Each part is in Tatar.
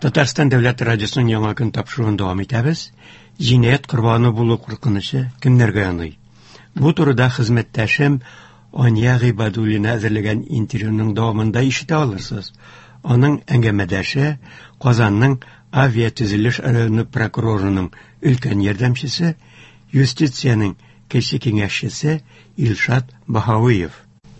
Татарстан дәүләт радиосының яңа көн тапшыруын дәвам итәбез. Җинаять корбаны булу куркынычы кемнәргә яный? Бу турыда хезмәттәшем Ания Гыйбадуллина әзерләгән интервьюның дәвамында ишетә алырсыз. Аның әңгәмәдәше Казанның авиатөзелеш районы прокурорының өлкән ярдәмчесе, юстициянең кече киңәшчесе Илшат Баһавиев.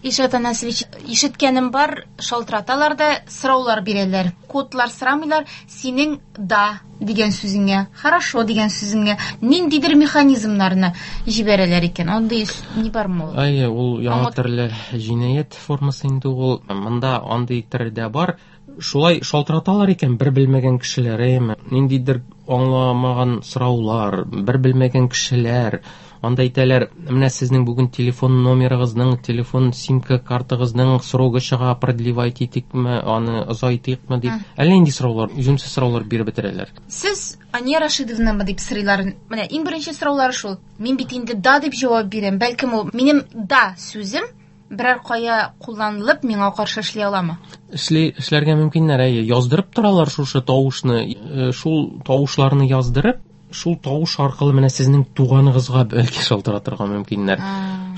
Илшат Анасович, ишеткәнем бар, шалтыраталар да сораулар бирәләр. Кодлар сорамыйлар, синең «да» дигән сүзеңә, «хорошо» дигән сүзеңә ниндидер механизмнарны җибәрәләр икән. Андый ни бармы ул? Әйе, ул яңа төрле җинаять формасы инде ул. Монда андый төр дә бар. Шулай шалтыраталар икән бер белмәгән кешеләр, әйеме? Ниндидер аңламаган сораулар, бер белмәгән кешеләр. Анда әйтәләр, менә сезнең бүген телефон номерыгызның, телефон симка картагызның срогы чыга, продлевать итикме, аны озайтыйкмы дип. Әллә нинди сораулар, юньсез сораулар биреп бетерәләр. Сез Ания Рашидовнамы дип сорыйлар. Менә иң беренче сораулары шул. Мин бит инде «да» дип җавап бирәм. Бәлкем ул минем «да» сүзем берәр кая кулланылып миңа каршы эшли аламы? Эшләргә мөмкиннәр, әйе. Яздырып торалар шушы тавышны, шул тавышларны яздырып, шул тавыш аркылы менә сезнең туганыгызга бәлки шалтыратырга мөмкиннәр.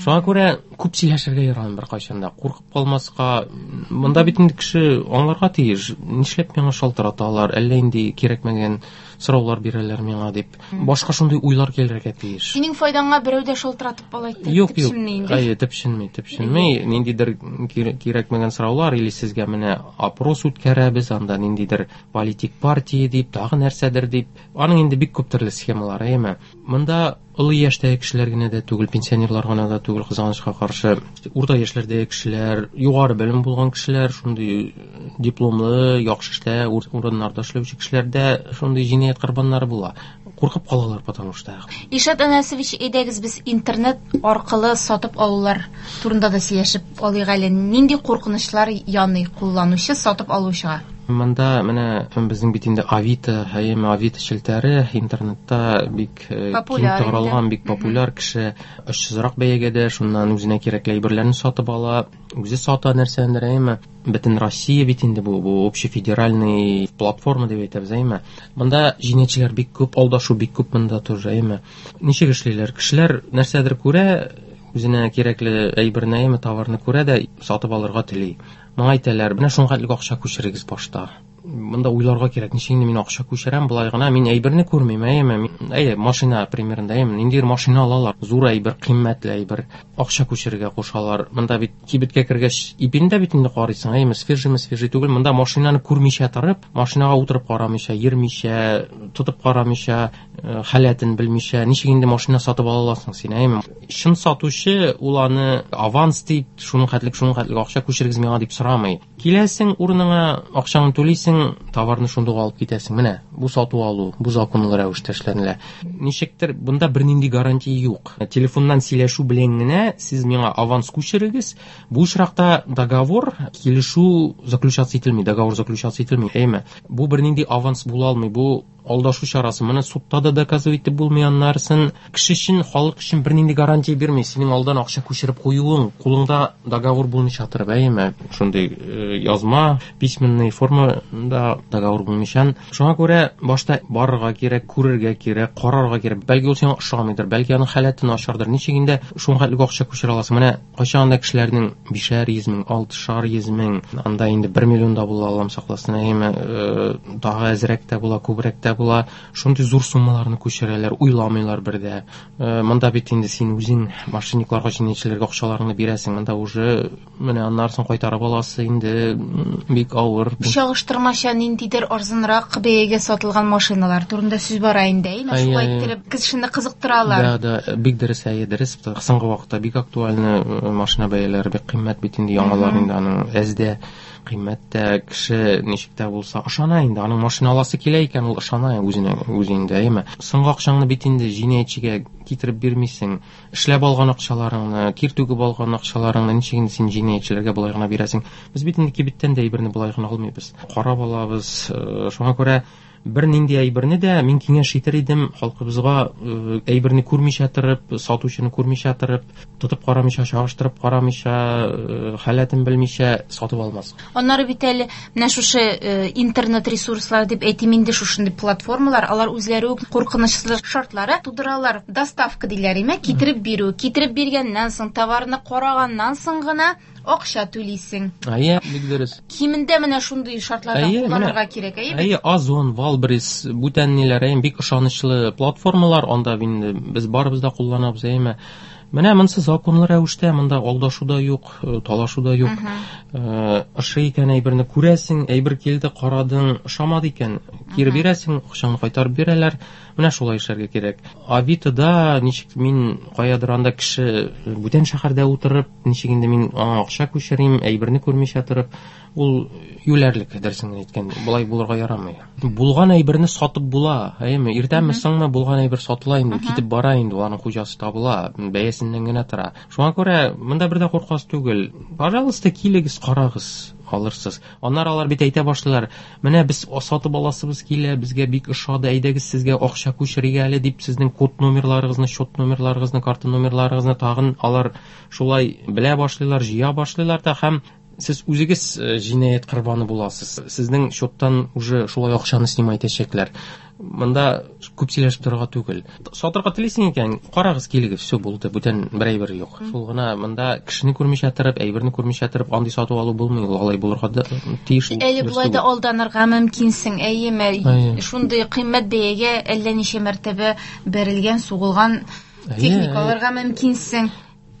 Шуңа күрә күп сөйләшергә ярамый беркайчан да. Куркып калмаска. Монда бит инде кеше аңларга тиеш. Нишләп миңа шалтыраталар, әллә инде кирәкмәгән сораулар бирәләр миңа дип. Башка шундый уйлар килергә тиеш. Синең файдаңа берәү дә шалтыратып алай Юк, юк. төпченми инде. Әйе, төпченми, төпченми. Ниндидер кирәкмәгән сораулар или сезгә менә опрос үткәрәбез, анда ниндидер политик партия дип, тагы нәрсәдер дип. Аның инде бик күп төрле схемалары, әйеме? Монда олы яшьтәге кешеләр генә дә түгел, пенсионерлар гына да түгел, кызганычка каршы, урта яшьләрдәге кешеләр, югары белем булган кешеләр, шундый дипломлы, яхшы эштә, урыннарда эшләүче кешеләр дә шундый җинаять корбаннары була. Куркып калалар, потому что. Илшат Анасович, әйдәгез без интернет аркылы сатып алулар турында да сөйләшеп алыйк әле. Нинди куркынычлар яный кулланучы сатып алучыга? Монда менә безнең бит инде Авито, әйеме, Авито челтәре интернетта бик киң таралган, бик популяр. Кеше очсызрак бәягә дә шуннан үзенә кирәкле әйберләрне сатып ала, үзе сата нәрсәләрне, әйеме. Бөтен Россия бит инде бу общефедеральный платформа дип әйтәбез, әйеме. Монда җинаятьчеләр бик күп, алдашу бик күп монда тоже, әйеме. Ничек эшлиләр? Кешеләр нәрсәдер күрә, үзенә кирәкле әйберне, әйеме, товарны күрә дә сатып алырга тели. Моңа әйтәләр, менә шуңа хәтле акча күчерегез башта. Монда уйларга кирәк, ничек инде мин акча күчерәм, болай гына мин әйберне күрмим, әйеме? Әйе, машина примерында, әйеме, ниндидер машина алалар, зур әйбер, кыйммәтле әйбер, акча күчерергә кушалар. Монда бит кибеткә кергәч, ипине дә бит инде карыйсың, әйеме, свежийме, свежий түгел. Монда машинаны күрмичә торып, машинага утырып карамыйча, йөрмичә, тотып карамыйча, халәтен белмичә, ничек инде машина сатып ала аласың син, әйеме? Чын сатучы ул аны аванс дип, шуның хәтлек, шуның хәтлек акча күчерегез миңа дип сорамый. Киләсең урыныңа, акчаңны түлисең, товарны шундук алып китәсең. Менә бу сату алу, бу законлы рәвештә эшләнелә. Ничектер бунда бернинди гарантия юк. Телефоннан сөйләшү белән генә сез миңа аванс күчерегез. Бу очракта договор, килешү заключаться ителми, договор заключаться ителми, әйме? Бу бернинди аванс була алмый, бу алдашу чарасы. Моны судта да доказывать итеп булмый аннарысын. Кеше өчен, халык өчен бернинди гарантия бирми. Синең алдан акча күчереп куюың, кулыңда договор булмыйча торып, әйеме? Шундый язма, письменный формада договор булмыйча. Шуңа күрә башта барырга кирәк, күрергә кирәк, карарга кирәк. Бәлки ул сиңа ошамыйдыр, бәлки аның халәте начардыр. Ничек инде шуңа хәтле акча күчерә аласың? Менә кайчан да кешеләрнең бишәр йөз мең, алтышар йөз мең, анда инде 1 миллион да була, Аллам сакласын, әйеме, тагы әзрәк тә була, күбрәк тә була. Шундый зур суммаларны күчерәләр, уйламыйлар бер дә. Монда бит инде син үзең мошенникларга, җинаятьчеләргә акчаларыңны бирәсең. Монда уже менә аннарысын кайтарып аласы инде бик авыр. Чагыштырмача ниндидер арзанрак бәягә сатылган машиналар турында сүз бара инде, әйме? Шулай иттереп кешене кызыктыралар. Да, да, бик дөрес, әйе, дөрес. Соңгы вакытта бик актуальны машина бәяләре бик кыйммәт бит инде, яңалар инде аның әздә кыйммәт тә, кеше ничек тә булса ышана инде, аның машина аласы килә икән, ул ышана үзенә, үзе инде, әйеме? Соңгы акчаңны бит инде җинаятьчегә китереп бирмисең, эшләп алган акчаларыңны, тир түгеп алган акчаларыңны ничек инде син җинаятьчеләргә болай гына бирәсең? Без бит инде кибеттән дә әйберне болай гына алмыйбыз, карап алабыз. Шуңа күрә Бер нинди әйберне дә мин киңәш итер идем халкыбызга, әйберне күрмичә торып, сатучыны күрмичә торып, тотып карамыйча, чагыштырып карамыйча, халәтен белмичә сатып алмас. Аннары бит әле менә шушы интернет ресурслар дип әйтим инде, шушындый платформалар, алар үзләре үк куркынычсызлык шартлары тудыралар. Доставка диләр, име, китереп бирү. Китереп биргәннән соң, товарны караганнан соң гына акча түлисең. Әйе, бик дөрес. Кимендә менә шундый шартларда кулланырга кирәк, әйе? Әйе, Озон, Wildberries, бүтән ниләр, әйе, бик ышанычлы платформалар, анда инде без барыбыз да кулланабыз, әйеме? Менә монысы законлы рәвештә, монда алдашу да юк, талашу да юк. Ошый икән әйберне күрәсең, әйбер килде, карадың, ошамады икән, кире бирәсең, акчаңны кайтарып бирәләр. Менә шулай эшләргә кирәк. Авитода ничек мин каядыр анда кеше бүтән шәһәрдә утырып, ничек инде мин аңа акча күчерим, әйберне күрмичә торып, ул юләрлек, дөресен әйткәндә, болай булырга ярамый. Булган әйберне сатып була, әйеме? Иртәме, соңмы булган әйбер сатыла инде, китеп бара инде, аның хуҗасы табыла, бәясеннән генә тора. Шуңа күрә монда бер дә куркасы түгел. Пожалуйста, килегез, карагыз, алырсыз. Аннары алар бит әйтә башлыйлар, менә без сатып аласыбыз килә, безгә бик ошады, әйдәгез сезгә акча күчерик әле дип, сезнең код номерларыгызны, счет номерларыгызны, карта номерларыгызны тагын алар шулай белә башлыйлар, җыя башлыйлар да, һәм сез үзегез җинаять корбаны буласыз. Сезнең счеттан уже шулай акчаны снимать итәчәкләр. Монда күп сөйләшеп торырга түгел. Сатырга телисең икән, карагыз, килегез, все булды, бүтән бер әйбер юк. Шул гына монда кешене күрмичә торып, әйберне күрмичә торып, андый сатып алу булмый, ул алай булырга да тиеш. Әле болай да алданырга мөмкинсең, әйеме? Шундый кыйммәт бәягә әллә ничә мәртәбә бәрелгән, сугылган техника алырга мөмкинсең.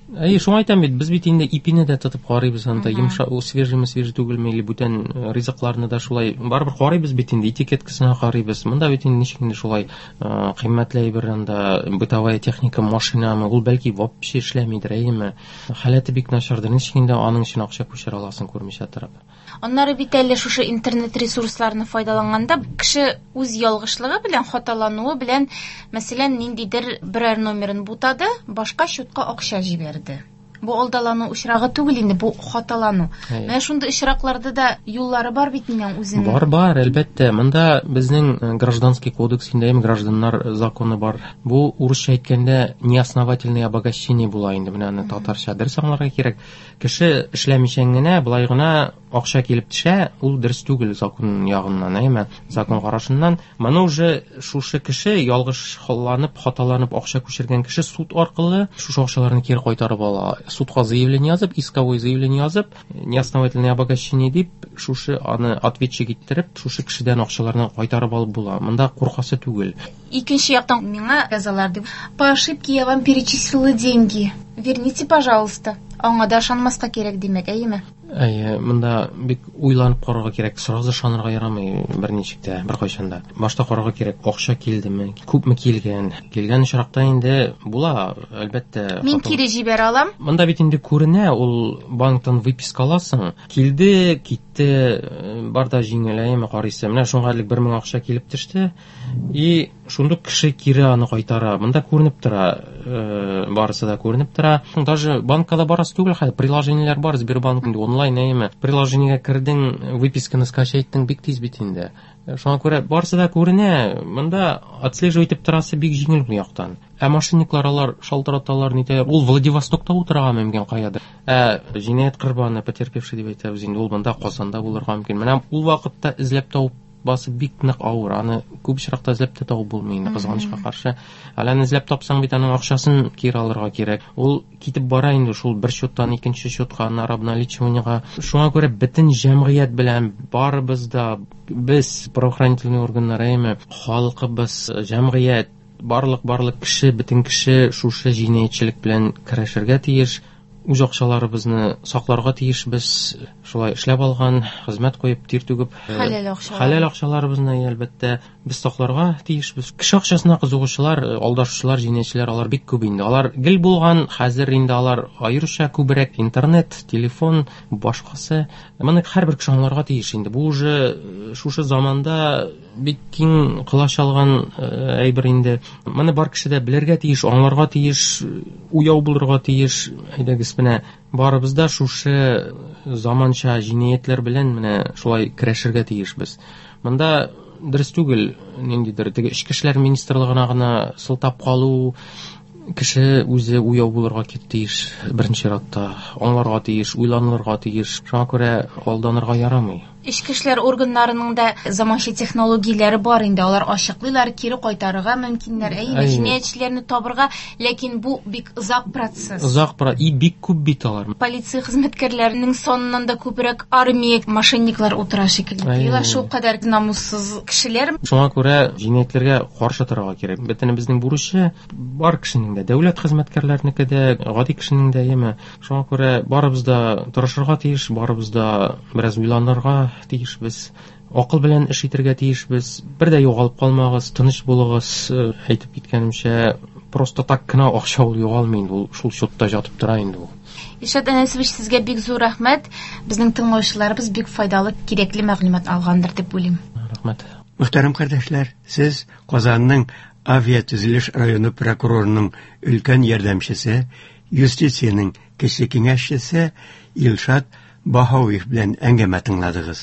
Әйе, шуңа әйтәм бит, без бит инде ипине дә тотып карыйбыз анда, йомшак, ул свежийме, свежий түгелме, или бүтән ризыкларны да шулай барыбер карыйбыз бит инде, этикеткасына карыйбыз. Монда бит инде ничек инде шулай кыйммәтле әйбер анда, бытовая техника, машинамы, ул бәлки вообще эшләмидер, әйеме? Халәте бик начардыр, ничек инде аның өчен акча күчерә аласың күрмичә торып. Аннары бит әле шушы интернет ресурсларны файдаланганда кеше үз ялгышлыгы белән, хаталануы белән, мәсәлән, ниндидер берәр номерын бутады, башка счетка акча җибәрде. Бу алдалану очрагы түгел инде, бу хаталану. Менә шундый очракларда да юллары бар бит минем үземнең. Бар, бар, әлбәттә. Монда безнең гражданский кодекс инде, гражданнар законы бар. Бу урысча әйткәндә неосновательное обогащение була инде. Менә аны татарча дөрес аңларга кирәк. Кеше эшләмичә генә, болай гына акча килеп төшә, ул дөрес түгел закон ягыннан, әйме? Закон карашыннан. Моны уже шушы кеше ялгышланып, хаталанып акча күчергән кеше суд аркылы шушы акчаларны кире кайтарып ала. Судка заявление язып, исковой заявление язып, неосновательное обогащение дип, шушы аны ответчик иттереп, шушы кешедән акчаларны кайтарып алып була. Монда куркасы түгел. Икенче яктан миңа язалар дип, по ошибке я вам перечислила деньги. Верните, пожалуйста. Аңа да ышанмаска кирәк димәк, әйеме? Әйе, монда бик уйланып карарга кирәк, сразу ышанырга ярамый берничек тә, беркайчан да. Башта карарга кирәк, акча килдеме, күпме килгән. Килгән очракта инде була, әлбәттә. Мин кире җибәрә алам. Монда бит инде күренә, ул банктан выписка аласың. Килде, китте, бар да җиңел, әйеме, карыйсы. Менә шуңа элек 1000 акча килеп төште. И шундук кеше кире аны кайтара. Монда күренеп тора, барысы да күренеп тора. Даже банкка да барасы түгел хәзер, приложениеләр бар, Сбербанк инде онлайн, әйеме. Приложениегә кердең, выписканы скачать иттең, бик тиз бит инде. Шуңа күрә барысы да күренә. Монда отслеживать итеп торасы бик җиңел бу яктан. Ә мошенниклар алар шалтыраталар, нитәләр. Ул Владивостокта утырырга мөмкин каядыр. Ә җинаять корбаны, потерпевший дип әйтәбез инде, ул монда Казанда булырга мөмкин. Менә ул вакытта эзләп табып басып бик нык авыр. Аны күп очракта эзләп тә табып булмый инде, кызганычка каршы. Әле аны эзләп тапсаң бит, аның акчасын кире алырга кирәк. Ул китеп бара инде шул бер счеттан икенче счетка, аннары обналичиваниега. Шуңа күрә бөтен җәмгыять белән барыбыз да, без правоохранительный органнар, әйеме, халкыбыз, җәмгыять, барлык кеше, бөтен кеше шушы җинаятьчелек белән көрәшергә тиеш. Үз акчаларыбызны сакларга тиешбез. Шулай эшләп алган, хезмәт куеп, тир түгеп, хәләл акчалар. Хәләл акчаларыбызны, әлбәттә, без сакларга тиешбез. Кеше акчасына кызыгучылар, алдашучылар, җинаятьчеләр алар бик күп инде. Алар гел булган, хәзер инде алар аеруча күбрәк интернет, телефон, башкасы. Моны һәрбер кеше аңларга тиеш инде. Бу уже шушы заманда бик киң колач алган әйбер инде. Моны бар кеше дә белергә тиеш, аңларга тиеш, уяу булырга тиеш. Әйдәгез, менә барыбыз да шушы заманча җинаятьләр белән менә шулай көрәшергә тиешбез. Монда дөрес түгел, ниндидер теге эчке эшләр министрлыгына гына сылтап калу. Кеше үзе уяу булырга тиеш, беренче чиратта аңларга тиеш, уйланырга тиеш. Шуңа күрә алданырга ярамый. Эчке эшләр органнарының да заманча технологияләре бар инде, алар ачыклыйлар, кире кайтарырга мөмкиннәр, әйе, җинаятьчеләрне табырга, ләкин бу бик озак процесс. Озак и бик күп бит алар. Полиция хезмәткәрләренең саныннан да күбрәк армия мошенниклар утыра шикелле. Алар шул кадәр намуссыз кешеләр. Шуңа күрә җинаятьләргә каршы торырга кирәк. Бөтенебезнең бурычы бар кешенең дә, дәүләт хезмәткәрләренеке дә, гади кешенең дә, әйеме. Шуңа күрә барыбыз да тырышырга тиеш, барыбыз да бераз уйланырга тиешбез, акыл белән эш итәргә тиешбез. Бер дә югалып калмагыз, тыныч булыгыз. Әйтеп киткәнемчә, просто так кына акча ул югалмый инде, ул шул счетта жатып тора инде ул. Илшат Әнәсович, сезгә бик зур рәхмәт. Безнең тыңлаучыларыбыз бик файдалы, кирәкле мәгълүмат алгандыр дип уйлыйм. Рәхмәт. Мөхтәрәм кардәшләр, сез Казанның авиатөзелеш районы прокурорының өлкән ярдәмчесе, юстициянең кече киңәшчесе Илшат Баһавиев белән әңгәмә тыңладыгыз.